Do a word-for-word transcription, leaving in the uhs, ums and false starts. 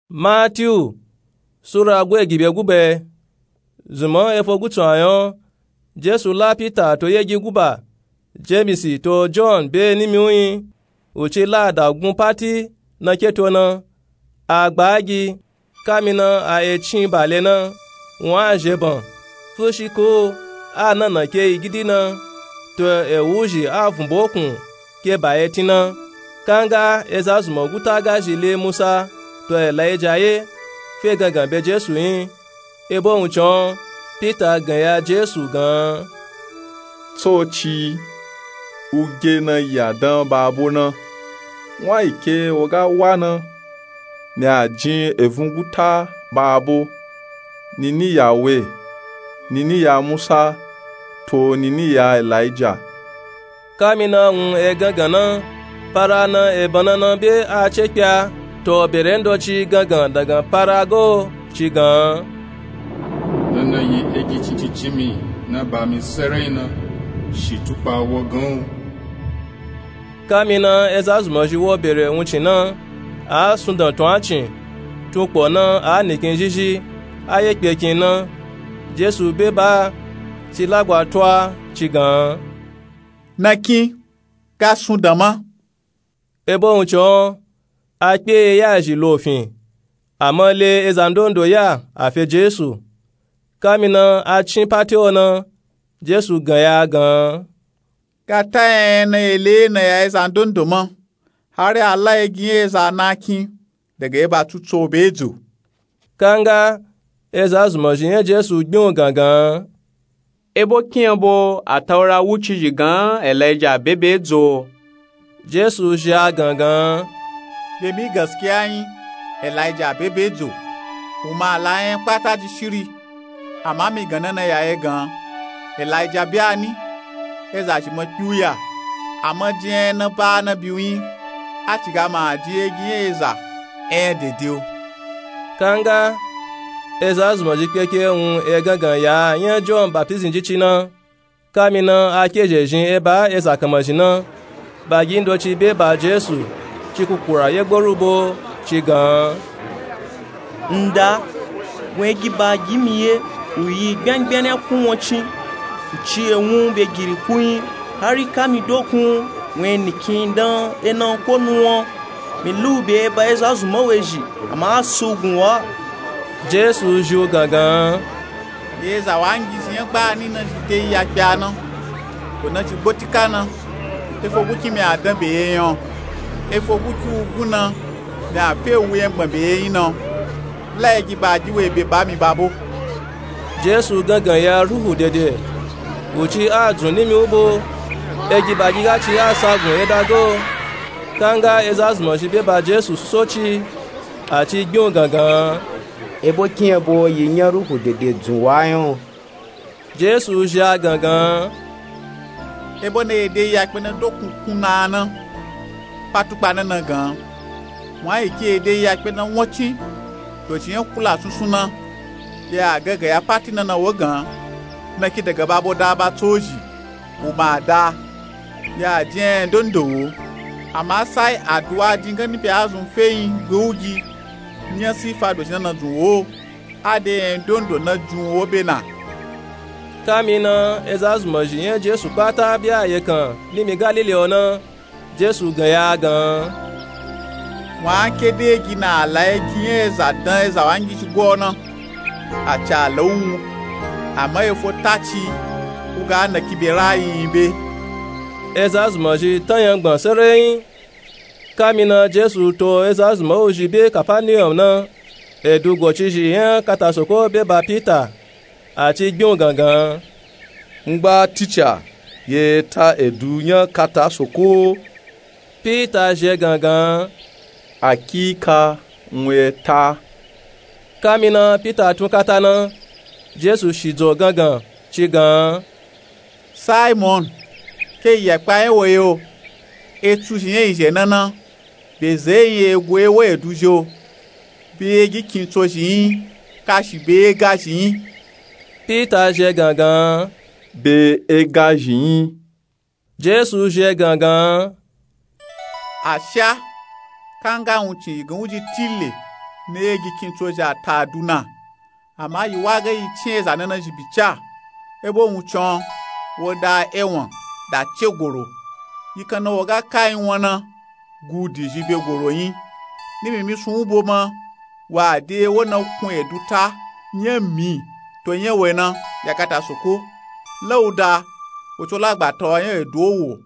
Matiyu sura gwe gibe gube. Zunmọ efo gutsu ayan, Jesu la Pita to yegi guba, Jemisi to Jọn be nimi uyin, u ci la da gun pati na keto na, a gba agi, kamina a ecin bale na, wun a zheban, fushi ko a nana ke igidi na, to ewuzhi a vun bokun ke ba etin na. Kanga eza zunmọ guta ga zhi le Musa to Elaija ye fe gangan be Jesu yin. Ebo wuncin, Pita gan ya Jesu gan, Tsoci, u ge na ya dan babo na, wun a yi ke wo ga wa na, mi a jin evun guta babo, nini ya we, nini ya Musa, to nini ya Elaija. Kamina wun e gangan na, para na e banana be a ce kpya, to bere ndoci gangan dagan para go ci gan. Nana yi egi cincincin mi na ba mi serai na, shi tukpa wo gan u. Kamina eza zunmọ zhi wo bere wuncin na, a sundan tun a cin, tun kpo na a nikin zhizhi, a ye kpe kin na, Jesu be ba, ci lagwa twa ci gan. Na kin, ka sundan ma. Ebo wuncin, a kpe ye ya zhi lo fin, a ma le eza ndondo ya a fe Jesu. Kamina a cin pati o na, Jesu gan ya gan. Kata yan na ye le na ya eza ndondo ma, hari a la egi nya eza na kin, daga eba tutu o be dzo. Kanga eza zunmọ zhi nya Jesu gbin u gangan. Ebo kin ebo a taura wuci zhi gan Elaija be be dzo. Jesu zhi a gangan. Be mi gaskiya yin, Elaija be be dzo, u ma la nya kpata ji shiri. Ama mi gan na na ya ye gan, Elaija be a ni, eza zhi ma kpi u ya, a ma jin nya na ba na bi u yin, a ci ga ma a jin egi nya eza enya dede u. Kanga eza zunmọ zhi kpeke wun e gangan ya nya Jọn Baptisti ji ci na. Kamina a ke zhe zhin eba eza kanma zhi na, bagi ndoci be ba Jesu, ci kukura ye gboru bo, ci gan. Nda, wun egi bagi mi ye, u yi gbyangbyan nya kun won cin, u ci ewun be giri kun yin, hari ka mi dokun, wun e nikin dan ena ko nu won. Mi lu be ba eza zunmọ we zhi, ama a su gun wa. Jesu zhi u gangan. Ye eza wangi zhi nya gba ni na zhi de yi ya kpya na, ko na ci gbotika na, efo guki mi a dan be ye yin o, efo guki u gun na, mi a fe u wu yengban be ye yin na. La egi bagi we be ba mi babo. Jesu gangan ya ruhu dede, u ci a dzun nimi u bo, egi bagi ga ci a sa gun ye dago. Kanga eza zunmọ zhi be ba Jesu susoci, a ci gbin u gangan. Ebo kin ebo yi nya ruhu dede dzun wa yin o. Jesu zhi a gangan. Ebo na ye de yi ya kpe na dokun kun na na, pa tukpa na na gan. Wun a yi ke ye de yi ya kpe na won cin, to ci nya kula sunsun na, ya gangan ya pati na na wo gan, na ki daga babo da ba tso zhi, u ma da, ya jin enya ndondo wo. Ama sai aduwa jin gani be a zun fe yin gbe u gi, nya sifa do zhi na na dzun wo. A de enya ndondo na jun wo be na. Kamina eza zunmọ zhi nya Jesu kpata be a ye kan nimi Galili o na, Jesu gan ya gan. Wun a ke de egi na a la egi nya eza dan eza wangi ci go na, a ci a la u wu, ama efo ta ci, u ga na ki be ra yi yin be. Eza zunmọ zhi tan yangban sereyin. Kamina Jesu to eza zunmọ u zhi be Kapaniyọm na, edu gocizhi nya katasoko be ba Pita, a ci gbin u gangan. Ngba tica, ye ta edu nya katasoko? Pita zhi e gangan. Akika, wun e ta. Kamina Pita tun kata na, Jesu shidzo gangan ci gan. Saimon, ke yi ya kpa nya wo ye o? Etsu zhi nya yi zhe na na, be ze yin egu e wo edu zhi o, be egi kintso zhi yin, kashi be ega zhi yin. Pita zhi e gangan. Be ega zhi yin. Jesu zhi e gangan. Asha, kanga wuncin yi gan u ji tile, ne ye gi kintso zhi a ta du na. Ama yi wa ge yi cin eza nana zhi bica, ebo wuncin wo da ewan da ce goro. Yi kan na wo ga ka yin wana gu di zhi be goro yin. Ni mimi sun wubo ma wa de wo na kun edu ta nya mi to nya we na ya kata soko lauda wo co lagba ta wa nya edu wo.